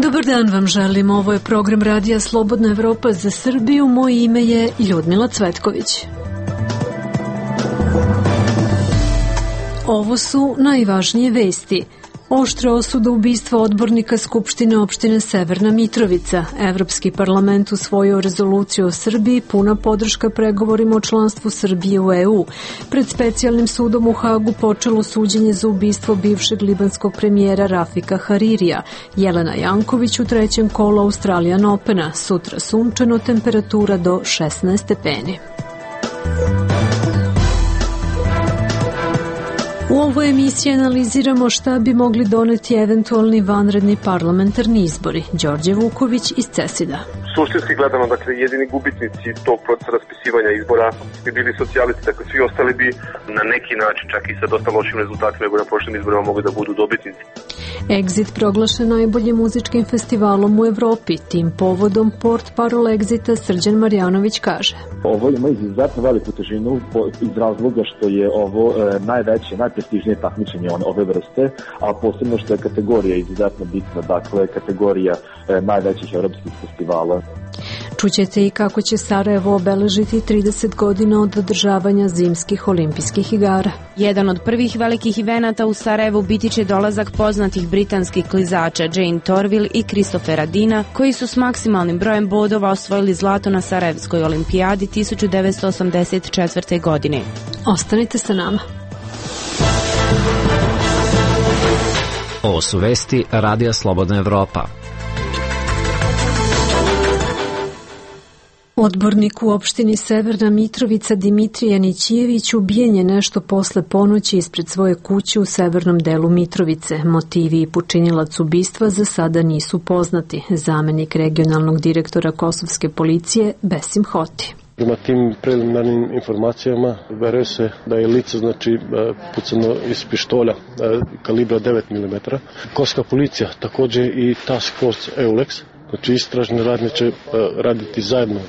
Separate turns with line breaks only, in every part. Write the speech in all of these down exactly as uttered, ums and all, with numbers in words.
Dobar dan vam želim, ovo je program radija Slobodna Evropa za Srbiju, moje ime je Ljudmila Cvetković. Ovo su najvažnije vesti. Oštra osuda ubistva odbornika Skupštine opštine Severna Mitrovica. Evropski parlament usvojio rezoluciju o Srbiji, puna podrška pregovorima o članstvu Srbije u E U. Pred specijalnim sudom u Hagu počelo suđenje za ubistvo bivšeg libanskog premijera Rafika Haririja. Jelena Janković u trećem kolu Australian Opena. Sutra sunčano, temperatura do šesnaest stepeni. U ovoj emisiji analiziramo šta bi mogli doneti eventualni vanredni parlamentarni izbori. Đorđe Vuković iz Cesida.
Suštinski gledano, dakle, jedini gubitnici tog procesa raspisivanja izbora bi bili socijalisti, dakle, svi ostali bi na neki način, čak i sa dosta lošim rezultatima, nego na prošlim izborima mogli da budu dobitnici.
Exit proglašen najboljim muzičkim festivalom u Evropi. Tim povodom port parol Exita Srđan Marjanović kaže.
Ovo ima izuzetno veliku težinu iz razloga što je ovo e, najveće, najprestižnije takmičenje ove vrste, a posebno što je kategorija izuzetno bitna, dakle kategorija e, najvećih evropskih festivala.
Čućete i kako će Sarajevo obeležiti trideset godina od održavanja zimskih olimpijskih igara.
Jedan od prvih velikih evenata u Sarajevu biti će dolazak poznatih britanskih klizača Jane Torvill i Christophera Dina, koji su s maksimalnim brojem bodova osvojili zlato na Sarajevskoj olimpijadi tisuću devetsto osamdeset četvrte. godine.
Ostanite sa nama.
Ovo su vesti Radija Slobodna Evropa.
Odbornik u opštini Severna Mitrovica Dimitrije Nićijević ubijen je nešto posle ponoći ispred svoje kuće u severnom delu Mitrovice. Motivi i počinilac ubistva za sada nisu poznati. Zamenik regionalnog direktora kosovske policije Besim Hoti.
Prema tim preliminarnim informacijama veruje se da je lice znači pucano iz pištolja kalibra devet milimetara. Kosovska policija također i Task Force EULEX, znači istražne radnje će raditi zajedno.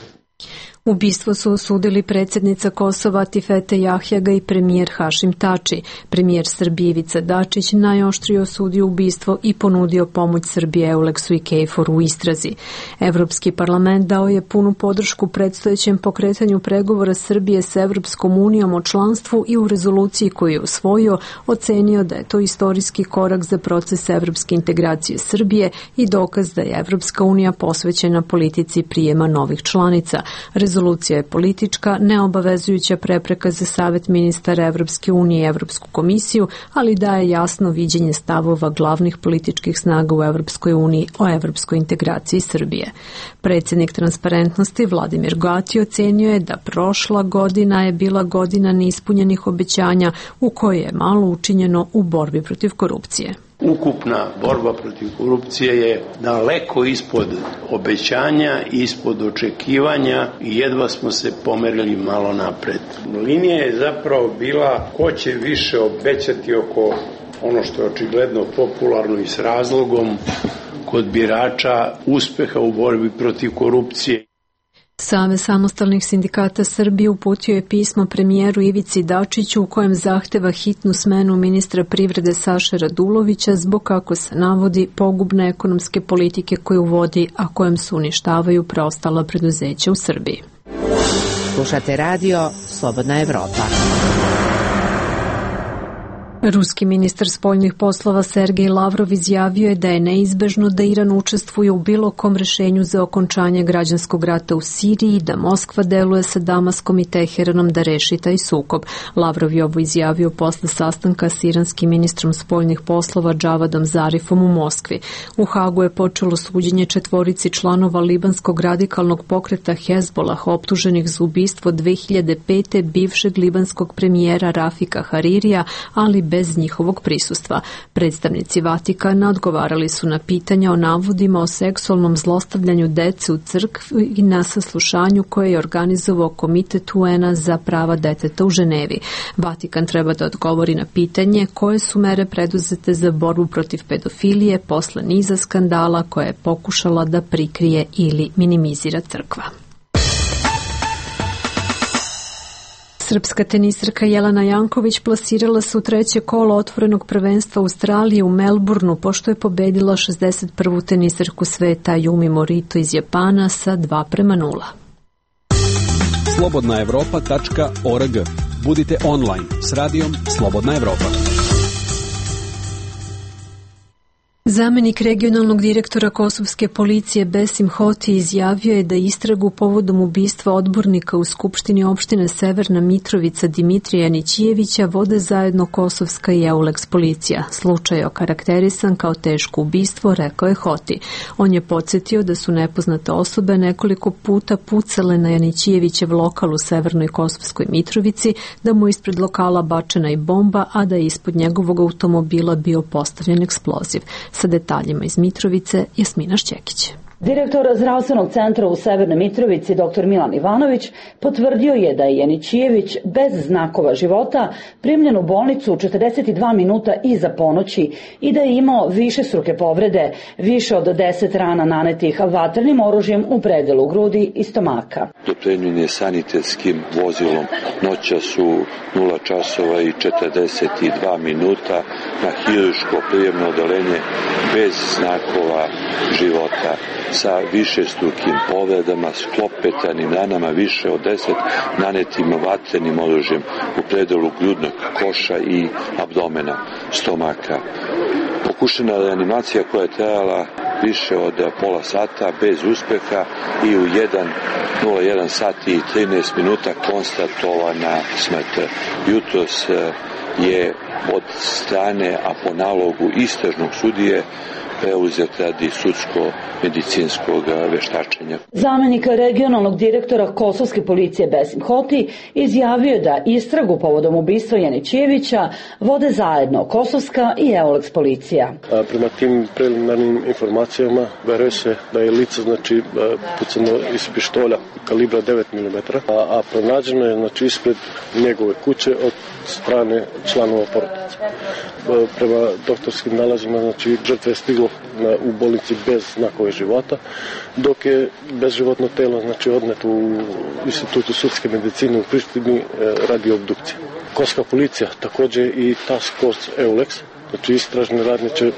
Ubistvo su osudili predsjednica Kosova Atifete Jahjaga i premijer Hašim Tači. Premijer Srbije Ivica Dačić najoštrije osudio ubistvo i ponudio pomoć Srbije Euleksu i Kejforu u istrazi. Evropski parlament dao je punu podršku predstojećem pokretanju pregovora Srbije s Evropskom unijom o članstvu i u rezoluciji koju je usvojio ocenio da je to istorijski korak za proces evropske integracije Srbije i dokaz da je Evropska unija posvećena politici prijema novih članica. Rezolucija je politička, neobavezujuća prepreka za Savet ministara Evropske unije i Evropsku komisiju, ali daje jasno viđenje stavova glavnih političkih snaga u Evropskoj uniji o evropskoj integraciji Srbije. Predsjednik Transparentnosti Vladimir Gati ocenio je da prošla godina je bila godina neispunjenih obećanja u kojoj je malo učinjeno u borbi protiv korupcije.
Ukupna borba protiv korupcije je daleko ispod obećanja, ispod očekivanja i jedva smo se pomerili malo napred. Linija je zapravo bila ko će više obećati oko ono što je očigledno popularno i s razlogom kod birača uspeha u borbi protiv korupcije.
Savez samostalnih sindikata Srbije uputio je pismo premijeru Ivici Dačiću u kojem zahteva hitnu smenu ministra privrede Saše Radulovića zbog, kako se navodi, pogubne ekonomske politike koju vodi, a kojem se uništavaju preostala preduzeća u Srbiji.
Slušate radio Slobodna Evropa.
Ruski ministar spoljnih poslova Sergej Lavrov izjavio je da je neizbežno da Iran učestvuje u bilo kom rešenju za okončanje građanskog rata u Siriji i da Moskva deluje sa Damaskom i Teheranom da reši taj sukob. Lavrov je ovo izjavio posle sastanka s iranskim ministrom spoljnih poslova Džavadom Zarifom u Moskvi. U Hagu je počelo suđenje četvorici članova libanskog radikalnog pokreta Hezbolah optuženih za ubistvo dve hiljade pete bivšeg libanskog premijera Rafika Haririja, ali bez njihovog prisustva. Predstavnici Vatikana odgovarali su na pitanja o navodima o seksualnom zlostavljanju dece u crkvi i na saslušanju koje je organizovao Komitet U N-a za prava deteta u Ženevi. Vatikan treba da odgovori na pitanje koje su mere preduzete za borbu protiv pedofilije posle niza skandala koje je pokušala da prikrije ili minimizira crkva. Srpska tenisarka Jelena Janković plasirala se u treće kolo otvorenog prvenstva Australije u Melbourneu pošto je pobedila šezdeset prvu tenisarku sveta Yumi Morito iz Japana sa dva prema nula.
slobodna evropa tačka org. Budite online s radijom Slobodna Evropa.
Zamenik regionalnog direktora kosovske policije Besim Hoti izjavio je da istragu povodom ubistva odbornika u Skupštini opštine Severna Mitrovica Dimitrija Janićijevića vode zajedno kosovska i Euleks policija. Slučaj je okarakterisan kao teško ubistvo, rekao je Hoti. On je podsjetio da su nepoznate osobe nekoliko puta pucale na Janićijevićev lokal u Severnoj Kosovskoj Mitrovici, da mu ispred lokala bačena i bomba, a da je ispod njegovog automobila bio postavljen eksploziv. Sa detaljima iz Mitrovice, Jasmina Šćekić.
Direktor zdravstvenog centra u Severnoj Mitrovici, dr Milan Ivanović, potvrdio je da je Janićijević bez znakova života primljen u bolnicu četrdeset dva minuta iza ponoći i da je imao višestruke povrede, više od deset rana nanetih vatrenim oružjem u predelu grudi i stomaka.
Dopremljen je sanitetskim vozilom. Noća su nula časova i četrdeset dva minuta na hirurško prijemno odeljenje bez znakova života, sa višestrukim povredama, sklopetanim ranama, više od deset nanetim vatrenim oružjem u predelu grudnog koša i abdomena, stomaka. Pokušena reanimacija koja je trajala više od pola sata bez uspeha i u jedan nula jedan sati i trinaest minuta konstatovana smrt. Jutros je od strane, a po nalogu istražnog sudije, preuzet radi sudsko-medicinskog veštačenja.
Zamenik regionalnog direktora kosovske policije Besim Hoti izjavio da istragu povodom ubistva Janićijevića vode zajedno kosovska i Euleks policija.
A prema tim preliminarnim informacijama veruje se da je lice znači pucano iz pištolja kalibra devet milimetara, a, a pronađeno je znači ispred njegove kuće od strane članova porodice. Prema doktorskim nalazima znači žrtva je stiglo na, u bolnici bez znakove života, dok je bezživotno telo znači odneto u Institutu sudske medicine u Prištini radi obdukcije. Kosovska policija također i Task Force Euleks, znači istražne radnje će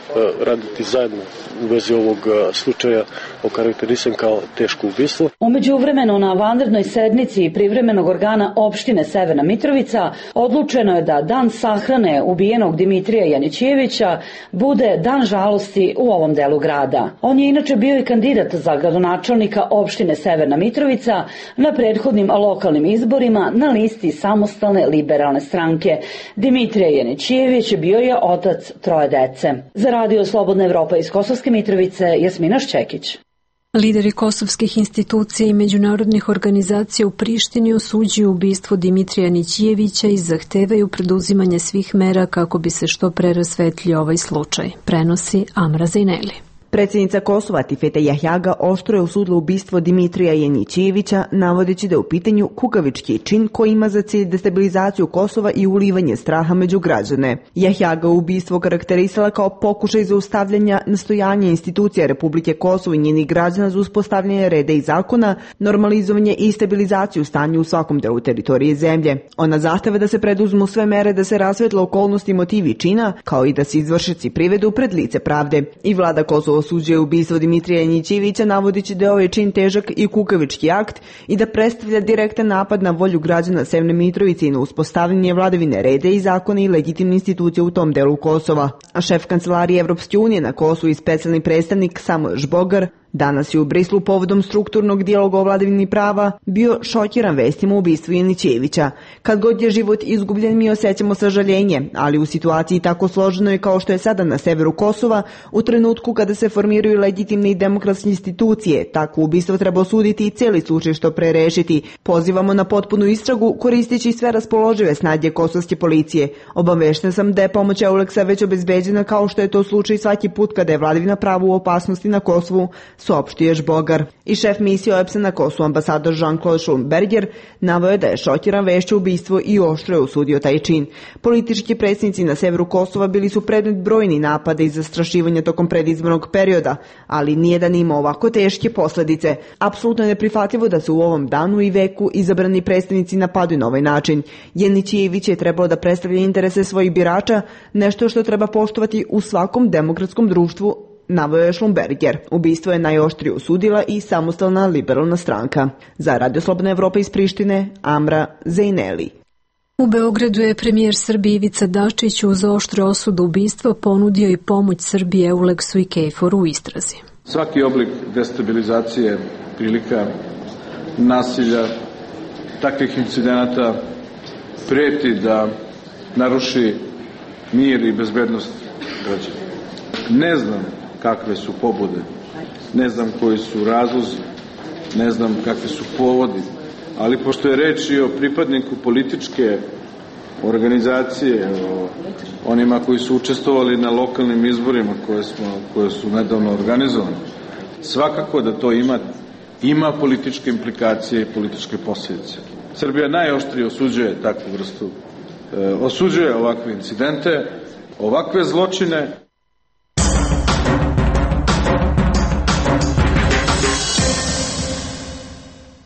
raditi zajedno u vezi ovog slučaja okarakterisan kao teško ubistvo.
U međuvremenu na vanrednoj sednici privremenog organa opštine Severna Mitrovica odlučeno je da dan sahrane ubijenog Dimitrija Janićijevića bude dan žalosti u ovom delu grada. On je inače bio i kandidat za gradonačelnika opštine Severna Mitrovica na prethodnim lokalnim izborima na listi samostalne liberalne stranke. Dimitrija Janićijević bio je otac troje dece. Za radio Slobodna Evropa iz Kosovske Mitrovice, Jasmina Šćekić.
Lideri kosovskih institucija i međunarodnih organizacija u Prištini osuđuju ubistvo Dimitrija Janićijevića i zahtevaju preduzimanje svih mera kako bi se što pre rasvetlio ovaj slučaj, prenosi Amra Zejneli.
Predsjednica Kosova Tifete Jahjaga oštro je osudila ubistvo Dimitrija Janićijevića, navodeći da je u pitanju kukavički čin koji ima za cilj destabilizaciju Kosova i ulivanje straha među građane. Jahjaga ubistvo karakterisala kao pokušaj zaustavljanja nastojanja institucija Republike Kosovo i njenih građana za uspostavljanje reda i zakona, normalizovanje i stabilizaciju stanja u svakom delu teritorije zemlje. Ona zahteva da se preduzmu sve mere da se rasvetle okolnosti i motivi čina, kao i da se izvršioci privedu pred lice pravde. I vlada Kosova osuđuje ubistvo Dimitrija Janićijevića, navodeći da je ovaj čin težak i kukavički akt i da predstavlja direktan napad na volju građana Severne Mitrovice i na uspostavljanje vladavine reda i zakona i legitimne institucije u tom delu Kosova. A šef kancelarije Evropske unije na Kosovu i specijalni predstavnik Samuel Žbogar Danas je u Brislu povodom strukturnog dijaloga o vladavini prava bio šokiran vestima o ubistvu Janićevića. Kad god je život izgubljen, mi osjećamo sažaljenje, ali u situaciji tako složenoj kao što je sada na severu Kosova, u trenutku kada se formiraju legitimne i demokratske institucije, tako ubistvo treba osuditi i cijeli slučaj što pre rešiti. Pozivamo na potpunu istragu koristeći sve raspoložive snage kosovske policije. Obavešten sam da je pomoć Euleksa već obezbeđena kao što je to slučaj svaki put kada je vladavina prava u opasnosti na Kosovu, saopštio je Žbogar. I šef misije O E B S-a na Kosovu, ambasador Jean-Claude Schulberger, naveo je da je šokiran vešću ubistvo i oštro je osudio taj čin. Politički predsjednici na severu Kosova bili su predmet brojni napada i zastrašivanja tokom predizbornog perioda, ali nijedan ima ovako teške posljedice. Apsolutno je neprihvatljivo da se u ovom danu i veku izabrani predstavnici napadaju na ovaj način. Janićević je trebalo da predstavlja interese svojih birača, nešto što treba poštovati u svakom demokratskom društvu, naveo je Schlumberger. Ubistvo je najoštrije osudila i samostalna liberalna stranka. Za Radio Slobodna Evropa iz Prištine, Amra Zejneli.
U Beogradu je premijer Srbije Ivica Dačić uz oštru osudu ubistva ponudio i pomoć Srbije Euleksu i Kejforu u istrazi.
Svaki oblik destabilizacije, prilika nasilja, takvih incidenata preti da naruši mir i bezbednost građana. Ne znam kakve su pobude, ne znam koji su razlozi, ne znam kakvi su povodi, ali pošto je reč i o pripadniku političke organizacije, o onima koji su učestvovali na lokalnim izborima koje, smo, koje su nedavno organizovane, svakako da to ima, ima političke implikacije i političke posljedice. Srbija najoštrije osuđuje takvu vrstu, e, osuđuje ovakve incidente, ovakve zločine.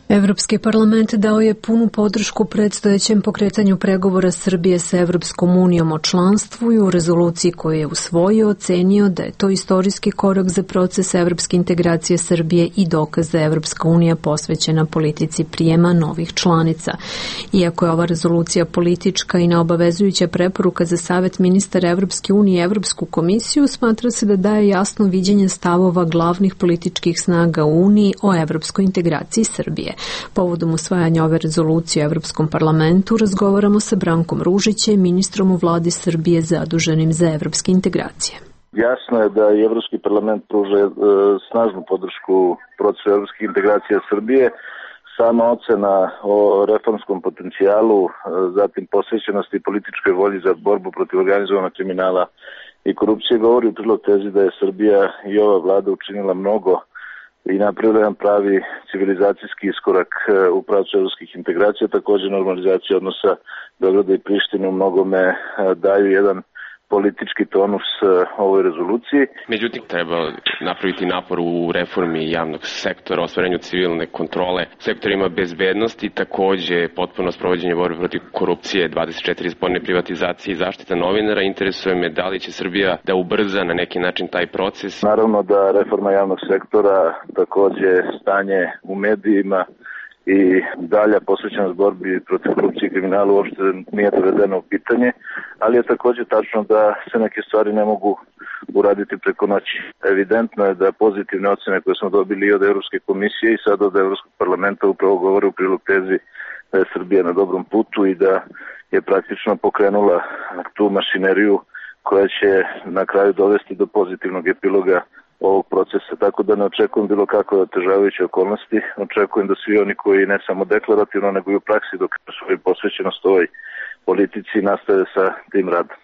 Evropski parlament dao je punu podršku predstojećem pokretanju pregovora Srbije sa Evropskom unijom o članstvu i u rezoluciji koju je usvojio ocenio da je to istorijski korak za proces evropske integracije Srbije i dokaz da je Evropska unija posvećena politici prijema novih članica. Iako je ova rezolucija politička i neobavezujuća preporuka za Savet ministara Evropske unije i Evropsku komisiju, smatra se da daje jasno viđenje stavova glavnih političkih snaga u Uniji o evropskoj integraciji Srbije. Povodom usvajanja ove rezolucije u Evropskom parlamentu razgovaramo sa Brankom Ružićem, ministrom u vladi Srbije zaduženim za evropske integracije.
Jasno je da i Evropski parlament pruža e, snažnu podršku procesu evropskih integracija Srbije. Sama ocena o reformskom potencijalu, e, zatim posvećenosti i političkoj volji za borbu protiv organizovanog kriminala i korupcije govori u prilog tezi da je Srbija i ova vlada učinila mnogo i napravila jedan pravi civilizacijski iskorak u pravcu evropskih integracija. Također normalizacija odnosa Beograda i Prištine u mnogome daju jedan politički tonus ovoj rezoluciji.
Međutim, treba napraviti napor u reformi javnog sektora, ostvarenju civilne kontrole, sektorima bezbednosti, takođe potpuno sprovođenje borbe protiv korupcije, dvadeset četiri sporne privatizacije i zaštita novinara. Interesuje me da li će Srbija da ubrza na neki način taj proces.
Naravno da reforma javnog sektora, takođe stanje u medijima i dalja posvećenost borbi protiv korupcije i kriminala uopšte nije dovedeno u pitanje, ali je također tačno da se neke stvari ne mogu uraditi preko noći. Evidentno je da pozitivne ocene koje smo dobili i od Evropske komisije i sad od Evropskog parlamenta upravo govore u prilog tezi da je Srbija na dobrom putu i da je praktično pokrenula tu mašineriju koja će na kraju dovesti do pozitivnog epiloga ovog procesa, tako da ne očekujem bilo kakve otežavajuće okolnosti. Očekujem da svi oni koji ne samo deklarativno, nego i u praksi dokažu svoju posvećenost ovoj politici nastave sa tim radom.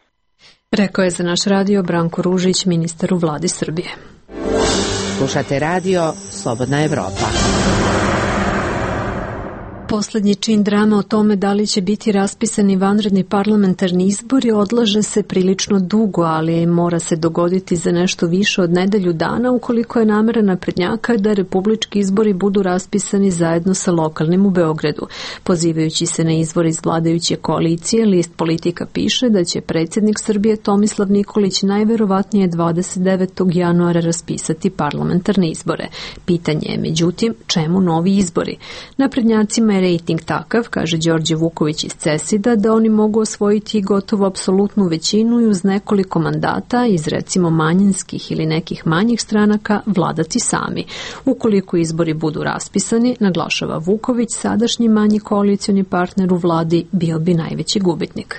Rekao je za naš radio Branko Ružić, ministar u vladi Srbije.
Slušate radio Slobodna Evropa.
Poslednji čin drama o tome da li će biti raspisani vanredni parlamentarni izbori odlaže se prilično dugo, ali mora se dogoditi za nešto više od nedelju dana ukoliko je namera naprednjaka da republički izbori budu raspisani zajedno sa lokalnim u Beogradu. Pozivajući se na izvor iz vladajuće koalicije, list Politika piše da će predsjednik Srbije Tomislav Nikolić najverovatnije dvadeset devetog januara raspisati parlamentarne izbore. Pitanje je, međutim, čemu novi izbori? Naprednjacima je je rejting takav, kaže Đorđe Vuković iz Cesida, da oni mogu osvojiti gotovo apsolutnu većinu i uz nekoliko mandata iz recimo manjinskih ili nekih manjih stranaka vladati sami. Ukoliko izbori budu raspisani, naglašava Vuković, sadašnji manji koalicioni partner u vladi bio bi najveći gubitnik.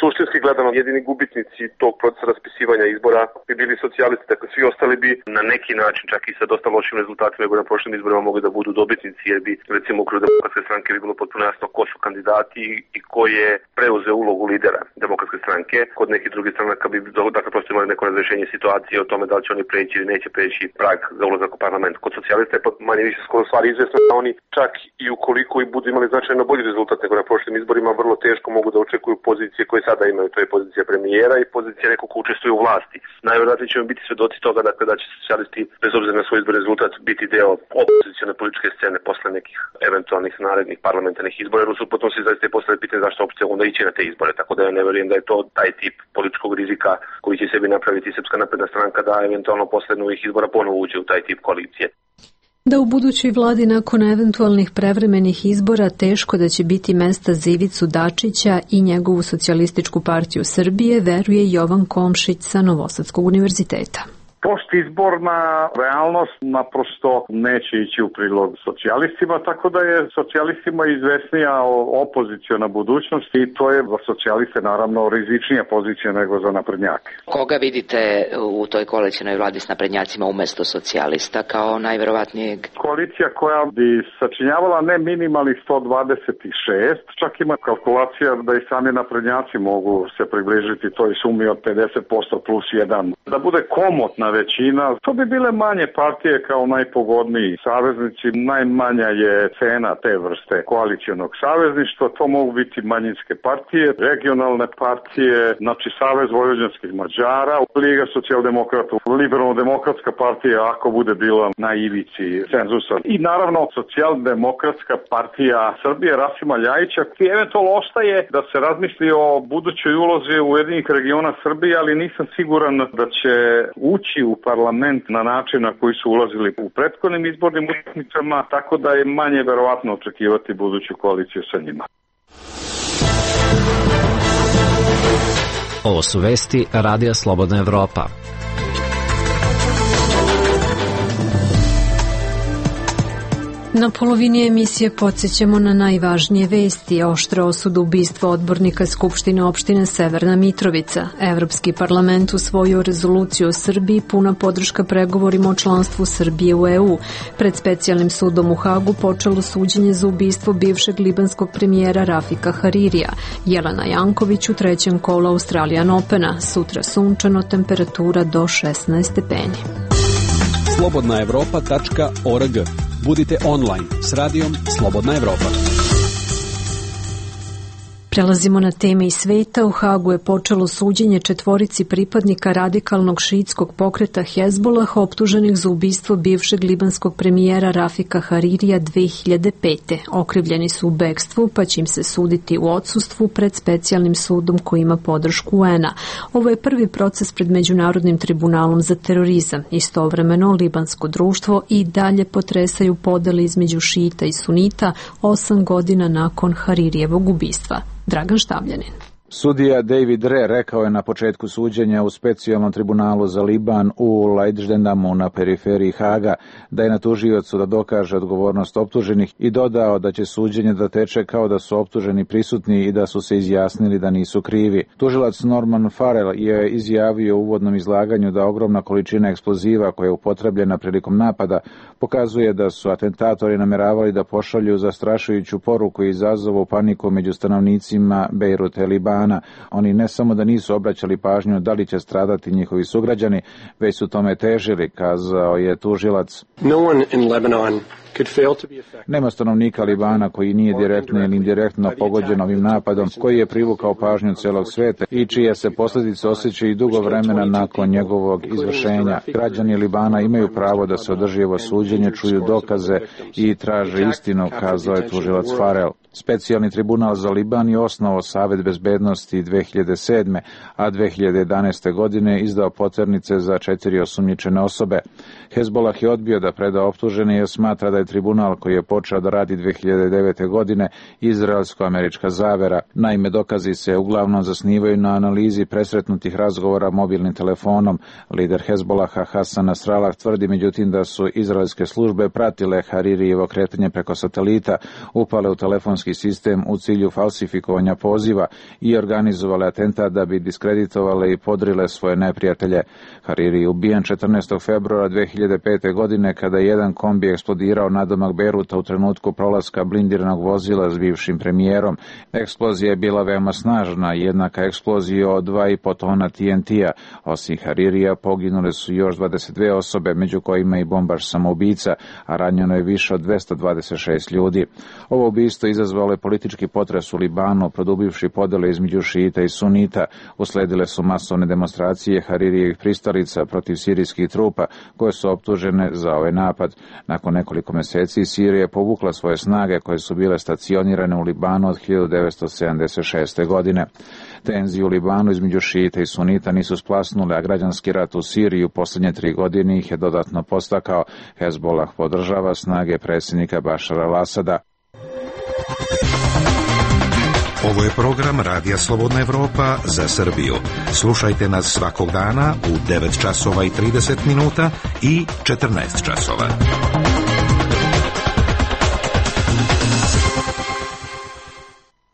Suštinski gledano, jedini gubitnici tog procesa raspisivanja izbora bi bili socijalisti, dakle svi ostali bi na neki način, čak i sa dosta lošim rezultatima nego na prošlim izborima, mogli da budu dobitnici, jer bi recimo u okviru Demokratske stranke bi bilo potpuno jasno ko su kandidati i ko je preuzeo ulogu lidera Demokratske stranke. Kod nekih drugih stranaka bi dakle prosto imali neko razrešenje situacije o tome da li će oni preći ili neće preći prag za ulazak u parlament. Kod socijalista je manje više skoro stvari izvesno da oni čak i ukoliko i budu imali značajno bolji rezultat nego na prošlim izborima, vrlo teško mogu da očekuju pozicije koje sada imaju, to je pozicija premijera i pozicija nekog ko učestvuje u vlasti. Najvjerojatnije ćemo biti svedoci toga dakle, da će socijalisti, bez obzira na svoj izbor rezultat, biti deo opozicione političke scene posle nekih eventualnih narednih parlamentarnih izbora, jer u suprotnosti zaista je postavljeno pitanje zašto uopšte onda ići na te izbore, tako da ja ne vjerujem da je to taj tip političkog rizika koji će sebi napraviti Srpska napredna stranka da eventualno posle novih izbora ponovo uđe u taj tip koalicije.
Da u budućoj vladi nakon eventualnih prevremenih izbora teško da će biti mesta za Ivicu Dačića i njegovu socijalističku partiju Srbije, veruje Jovan Komšić sa Novosadskog univerziteta.
Postizborna realnost naprosto neće ići u prilog socijalistima, tako da je socijalistima izvesnija opoziciona budućnost i to je za socijaliste naravno rizičnija pozicija nego za naprednjake.
Koga vidite u toj koalicijnoj vladi s naprednjacima umesto socijalista kao najverovatnijeg?
Koalicija koja bi sačinjavala ne minimalnih sto dvadeset šest, čak ima kalkulacija da i sami naprednjaci mogu se približiti toj sumi od pedeset posto plus jedan. Da bude komotna većina, to bi bile manje partije kao najpogodniji saveznici, najmanja je cena te vrste koalicijonog savezništva, to mogu biti manjinske partije, regionalne partije, znači Savez vojvođanskih Mađara, Liga socijaldemokrata, Liberalno-demokratska partija ako bude bila na ivici cenzusa i naravno Socijaldemokratska partija Srbije Rasima Ljajića, koji eventualno ostaje da se razmisli o budućoj ulozi Ujedinjenih regiona Srbije, ali nisam siguran da će ući u parlament na način na koji su ulazili u prethodnim izbornim utakmicama, tako da je manje verovatno očekivati buduću koaliciju sa njima.
Ovo su vesti Radija Slobodna Evropa.
Na polovini emisije podsjećamo na najvažnije vesti. Oštra osuda ubistva odbornika Skupštine opštine Severna Mitrovica. Evropski parlament usvojio rezoluciju o Srbiji, puna podrška pregovorima o članstvu Srbije u E U. Pred specijalnim sudom u Hagu počelo suđenje za ubistvo bivšeg libanskog premijera Rafika Haririja. Jelena Janković u trećem kolu Australian Opena. Sutra sunčano, temperatura do šesnaest stepeni.
slobodna evropa tačka org. Budite online s radijom Slobodna Evropa.
Prelazimo na teme iz sveta. U Hagu je počelo suđenje četvorici pripadnika radikalnog šiitskog pokreta Hezbolah optuženih za ubistvo bivšeg libanskog premijera Rafika Haririja dve hiljade pete. Okrivljeni su u bekstvu, pa će im se suditi u odsustvu pred specijalnim sudom koji ima podršku U N-a. Ovo je prvi proces pred Međunarodnim tribunalom za terorizam. Istovremeno, libansko društvo i dalje potresaju podele između šita i sunita osam godina nakon Haririjevog ubistva. Dragan Štabljanin.
Sudija David Re rekao je na početku suđenja u specijalnom tribunalu za Liban u Leidschendamu na periferiji Haga da je na tužiocu da dokaže odgovornost optuženih i dodao da će suđenje da teče kao da su optuženi prisutni i da su se izjasnili da nisu krivi. Tužilac Norman Farrell je izjavio u uvodnom izlaganju da ogromna količina eksploziva koja je upotrebljena prilikom napada pokazuje da su atentatori nameravali da pošalju zastrašujuću poruku i izazovu paniku među stanovnicima Bejruta i Libana. Oni ne samo da nisu obraćali pažnju da li će stradati njihovi sugrađani, već su tome težili, kazao je tužilac.
No one in Lebanon
Nema stanovnika Libana koji nije direktno ili indirektno pogođen ovim napadom, koji je privukao pažnju celog sveta i čije se posljedice osjećaju dugo vremena nakon njegovog izvršenja. Građani Libana imaju pravo da se održi ovo suđenje, čuju dokaze i traže istinu, kazao je tužilac Farrell. Specijalni tribunal za Liban je osnovao Savet bezbednosti dve hiljade sedme. a dve hiljade jedanaeste. godine izdao poternice za četiri osumnjičene osobe. Hezbollah je odbio da preda optužene jer smatra da je tribunal koji je počeo da radi dve hiljade devete. godine izraelsko-američka zavera. Naime, dokazi se uglavnom zasnivaju na analizi presretnutih razgovora mobilnim telefonom. Lider Hezbollaha Hasan Nasrallah tvrdi međutim da su izraelske službe pratile Haririjevo kretanje preko satelita, upale u telefonski sistem u cilju falsifikovanja poziva i organizovale atentat da bi diskreditovale i podrile svoje neprijatelje. Hariri je ubijen četrnaestog februara dve hiljade pete. godine kada je jedan kombi eksplodirao nadomak Bejruta u trenutku prolaska blindiranog vozila s bivšim premijerom. Eksplozija je bila veoma snažna, jednaka eksploziji od dva i po tona T N T-a. Osim Haririja poginule su još dvadeset dve osobe, među kojima i bombaš samoubica, a ranjeno je više od dvesta dvadeset šest ljudi. Ovo ubistvo izazvalo je politički potres u Libanu, produbivši podele između šijita i sunita. Usledile su masovne demonstracije Haririjevih pristalica protiv sirijskih trupa, koje su optužene za ovaj napad. Nakon nekoliko meseci Sirija je povukla svoje snage koje su bile stacionirane u Libanu od hiljadu devetsto sedamdeset šeste. godine. Tenzije u Libanu između šijita i sunita nisu splasnule, a građanski rat u Siriji u posljednje tri godine ih je dodatno postakao. Hezbollah podržava snage predsjednika Bašara al-Asada.
Ovo je program Radija Slobodna Evropa za Srbiju. Slušajte nas svakog dana u devet časova i trideset minuta i četrnaest časova.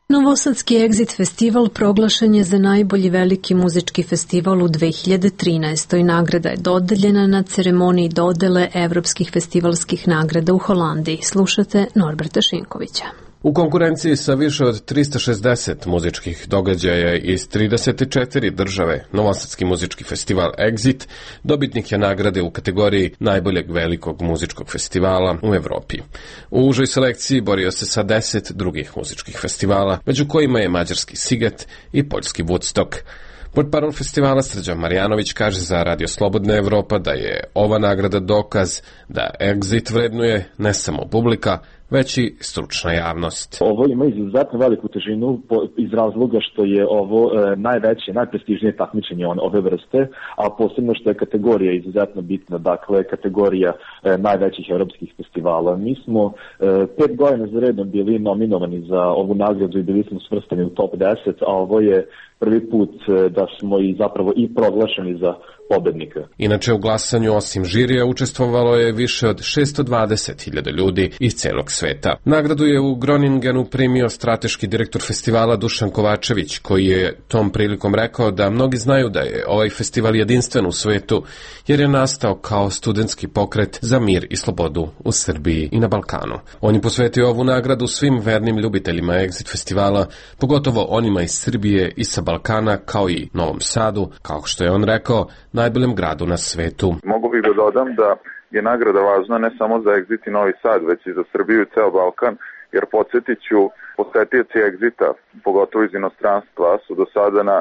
Novosadski Exit festival proglašen je za najbolji veliki muzički festival u dve hiljade trinaestoj. Nagrada je dodeljena na ceremoniji dodele evropskih festivalskih nagrada u Holandiji. Slušate Norberta Šinkovića.
U konkurenciji sa više od trista šezdeset muzičkih događaja iz trideset četiri države, Novosadski muzički festival Exit dobitnik je nagrade u kategoriji najboljeg velikog muzičkog festivala u Evropi. U užoj selekciji borio se sa deset drugih muzičkih festivala, među kojima je mađarski Siget i poljski Woodstock. Portparol festivala Srđan Marjanović kaže za Radio Slobodna Evropa da je ova nagrada dokaz da Exit vrednuje ne samo publika, već i stručna javnost.
Ovo ima izuzetno veliku težinu iz razloga što je ovo e, najveće, najprestižnije takmičenje ove vrste, a posebno što je kategorija izuzetno bitna, dakle kategorija e, najvećih evropskih festivala. Mi smo e, pet godina za redom bili nominovani za ovu nagradu i bili smo svrstani u top deset, a ovo je prvi put e, da smo i zapravo i proglašeni za pobednika.
Inače u glasanju osim žirija učestvovalo je više od šesto dvadeset hiljada ljudi iz celog sveta. Nagradu je u Groningenu primio strateški direktor festivala Dušan Kovačević, koji je tom prilikom rekao da mnogi znaju da je ovaj festival jedinstven u svetu, jer je nastao kao studentski pokret za mir i slobodu u Srbiji i na Balkanu. On je posvetio ovu nagradu svim vernim ljubiteljima Exit festivala, pogotovo onima iz Srbije i sa Balkana, kao i Novom Sadu, kao što je on rekao, najboljem gradu na svetu.
Mogu bih da dodam da je nagrada važna ne samo za Exit i Novi Sad, već i za Srbiju i ceo Balkan, jer podsjetit ću, posetioci Exita, pogotovo iz inostranstva, su do sada na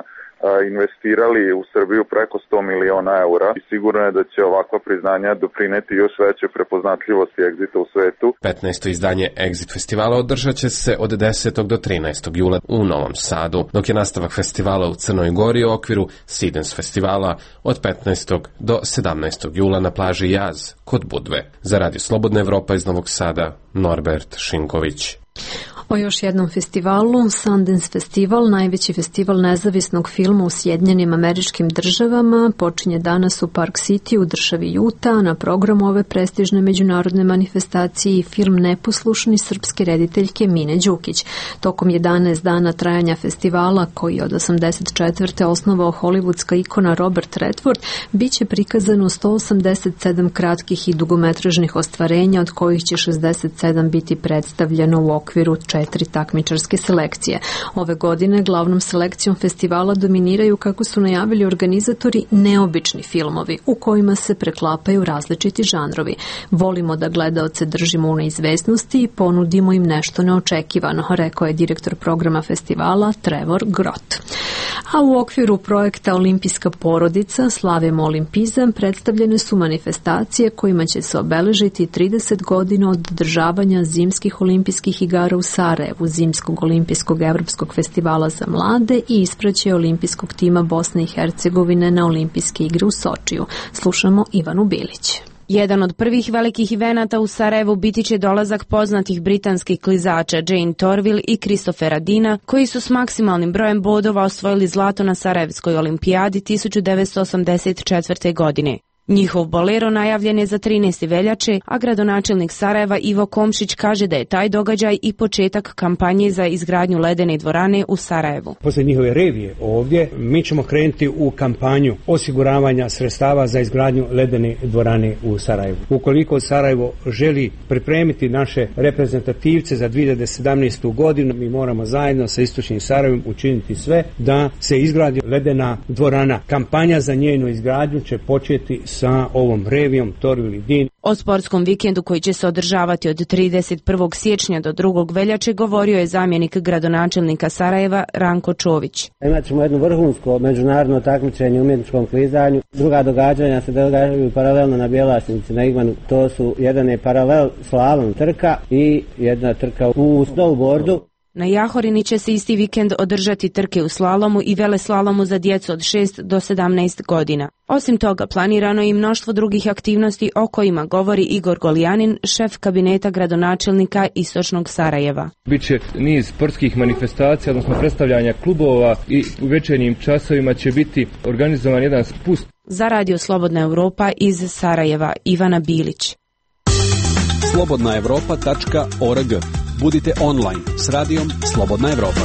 investirali u Srbiju preko sto miliona eura i sigurno je da će ovakva priznanja doprineti još veće prepoznatljivosti Exita u svetu.
petnaesto izdanje Exit festivala održat će se od desetog do trinaestog jula u Novom Sadu, dok je nastavak festivala u Crnoj Gori u okviru Sidens festivala od petnaestog do sedamnaestog jula na plaži Jaz kod Budve. Za Radio Slobodna Evropa iz Novog Sada, Norbert Šinković.
O još jednom festivalu, Sundance Festival, najveći festival nezavisnog filma u Sjedinjenim Američkim Državama, počinje danas u Park City u državi Utah. Na programu ove prestižne međunarodne manifestacije i film Neposlušni srpske rediteljke Mine Đukić. Tokom jedanaest dana trajanja festivala, koji je od osamdeset četvrte osnovao hollywoodska ikona Robert Redford, bit će prikazano sto osamdeset sedam kratkih i dugometražnih ostvarenja, od kojih će šezdeset sedam biti predstavljeno u okviru četiri takmičarske selekcije. Ove godine glavnom selekcijom festivala dominiraju, kako su najavili organizatori, neobični filmovi u kojima se preklapaju različiti žanrovi. Volimo da gledaoce držimo u neizvesnosti i ponudimo im nešto neočekivano, rekao je direktor programa festivala Trevor Grott. A u okviru projekta Olimpijska porodica Slavimo olimpizam predstavljene su manifestacije kojima će se obeležiti trideset godina od održavanja zimskih olimpijskih igara u Sarajevu Sarajevu zimskog olimpijskog evropskog festivala za mlade i ispraćaj olimpijskog tima Bosne i Hercegovine na olimpijske igre u Sočiju. Slušamo Ivanu Bilić.
Jedan od prvih velikih evenata u Sarajevu biti će dolazak poznatih britanskih klizača Jane Torvill i Christophera Deana, koji su s maksimalnim brojem bodova osvojili zlato na Sarajevskoj olimpijadi tisuću devetsto osamdeset četvrte. godine. Njihov bolero najavljen je za trinaeste veljače, a gradonačelnik Sarajeva Ivo Komšić kaže da je taj događaj i početak kampanje za izgradnju ledene dvorane u Sarajevu.
Posle njihove revije ovdje mi ćemo krenuti u kampanju osiguravanja sredstava za izgradnju ledene dvorane u Sarajevu. Ukoliko Sarajevo želi pripremiti naše reprezentativce za dvije hiljade sedamnaestu. godinu, mi moramo zajedno sa Istočnim Sarajevom učiniti sve da se izgradi ledena dvorana. Kampanja za njenu izgradnju će početi sa ovom revijom Torvill i Dean.
O sportskom vikendu koji će se održavati od trideset prvog siječnja do drugog veljače govorio je zamjenik gradonačelnika Sarajeva Ranko Čović.
Imat ćemo jedno vrhunsko međunarodno takmičenje u umjetničkom klizanju. Druga događanja se događaju paralelno na Bjelašnici na Igmanu. To su jedan je paralel slalom trka i jedna trka u snowboardu.
Na Jahorini će se isti vikend održati trke u slalomu i veleslalomu za djecu od šest do sedamnaest godina. Osim toga, planirano je i mnoštvo drugih aktivnosti o kojima govori Igor Goljanin, šef kabineta gradonačelnika Istočnog Sarajeva.
Biće niz sportskih manifestacija, odnosno predstavljanja klubova i u večernjim časovima će biti organizovan jedan spust.
Za Radio Slobodna Evropa iz Sarajeva, Ivana Bilić.
slobodna evropa tačka org. Budite online s radijom Slobodna Evropa.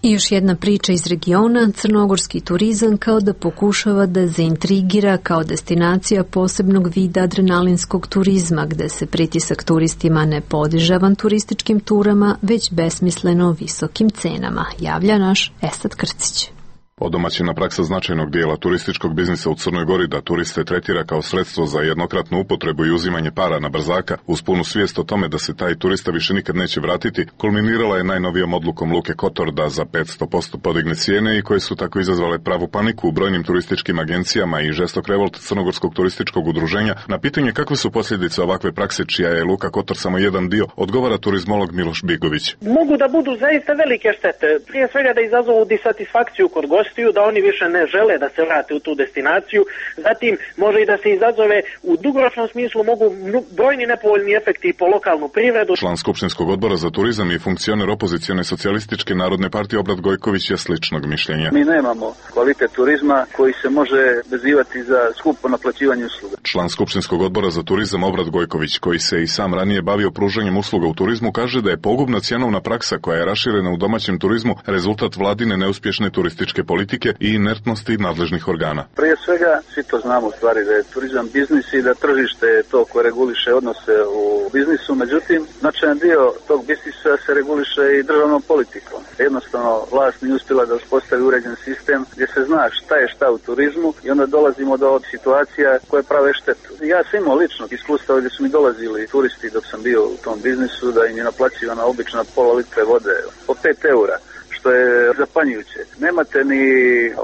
I još jedna priča iz regiona, crnogorski turizam kao da pokušava da zaintrigira kao destinacija posebnog vida adrenalinskog turizma, gde se pritisak turistima ne podiže avanturističkim turama, već besmisleno visokim cenama, javlja naš Esad Krcić.
Odomaćena praksa značajnog dijela turističkog biznisa u Crnoj Gori da turiste tretira kao sredstvo za jednokratnu upotrebu i uzimanje para na brzaka, uz punu svijest o tome da se taj turista više nikad neće vratiti, kulminirala je najnovijom odlukom Luke Kotor da za petsto posto podigne cijene i koje su tako izazvale pravu paniku u brojnim turističkim agencijama i žestok revolt Crnogorskog turističkog udruženja. Na pitanje kakve su posljedice ovakve prakse, čija je Luka Kotor samo jedan dio, odgovara turizmolog Miloš Bigović.
Mogu da budu zaista velike štete. Prije svega da izazovu disatisfakciju kod gosta, da oni više ne žele da se vrate u tu destinaciju, zatim može i da se izazove u dugoročnom smislu mogu brojni nepovoljni efekti po lokalnu privredu.
Član Skupštinskog odbora za turizam i funkcioner opozicione socijalističke narodne partije Obrad Gojković je sličnog mišljenja.
Mi nemamo kvalitet turizma koji se može vezivati za skupo naplaćivanje usluga.
Član Skupštinskog odbora za turizam Obrad Gojković, koji se i sam ranije bavio pružanjem usluga u turizmu, kaže da je pogubna cjenovna praksa koja je raširena u domaćem turizmu rezultat vladine neuspješne turističke politike i inertnosti nadležnih organa.
Prije svega, svi to znamo u stvari da je turizam biznis i da tržište je to koje reguliše odnose u biznisu, međutim, značajan dio tog biznisa se reguliše i državnom politikom. Jednostavno, vlast nije uspjela da uspostavi uređen sistem gdje se zna šta je šta u turizmu i onda dolazimo do situacija koje prave štetu. Ja sam imao lično iskustva gdje su mi dolazili turisti dok sam bio u tom biznisu da im je naplaćivana obična pola litre vode po pet eura. Što je zapanjujuće. Nemate ni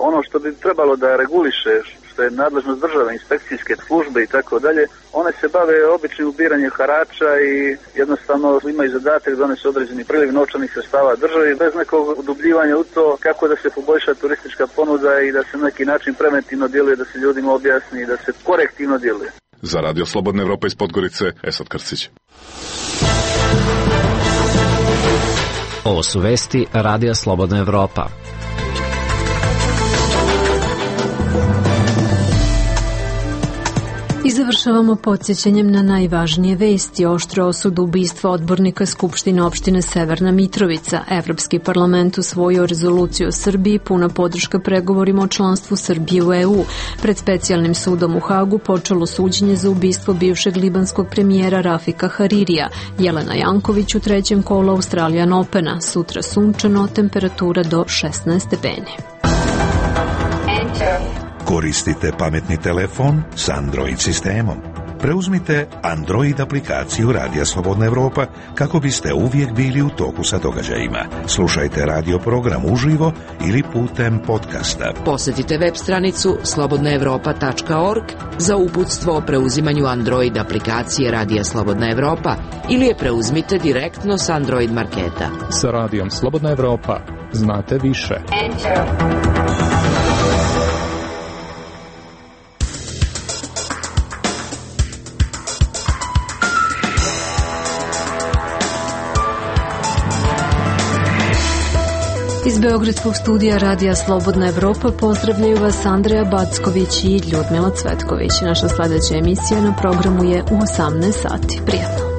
ono što bi trebalo da reguliše, što je nadležnost države, inspekcijske službe i tako dalje, one se bave običnim ubiranjem harača i jednostavno imaju zadatak da donese određeni priliv novčanih sredstava državi bez nekog udubljivanja u to kako da se poboljša turistička ponuda i da se na neki način preventivno djeluje, da se ljudima objasni i da se korektivno djeluje.
Za Radio Slobodna Evropa iz Podgorice, Esad Krcić.
Ovo su vesti Radija Slobodna Evropa.
I završavamo podsjećanjem na najvažnije vesti. Oštro osudu ubistva odbornika Skupštine opštine Severna Mitrovica. Evropski parlament usvojio rezoluciju o Srbiji, puna podrška pregovorima o članstvu Srbije u E U. Pred specijalnim sudom u Hagu počelo suđenje za ubistvo bivšeg libanskog premijera Rafika Haririja. Jelena Janković u trećem kolu Australian Opena. Sutra sunčano, temperatura do šesnaest stepeni.
Koristite pametni telefon s Android sistemom. Preuzmite Android aplikaciju Radija Slobodna Evropa kako biste uvijek bili u toku sa događajima. Slušajte radio program uživo ili putem podcasta.
Posjetite web stranicu slobodna evropa tačka org za uputstvo o preuzimanju Android aplikacije Radija Slobodna Evropa ili je preuzmite direktno s Android marketa.
Sa Radijom Slobodna Evropa znate više. Enter.
Iz Beogradskog studija Radija Slobodna Evropa pozdravljaju vas Andreja Backović i Ljudmila Cvetković. Naša sljedeća emisija na programu je u osamnaest sati. Prijatno.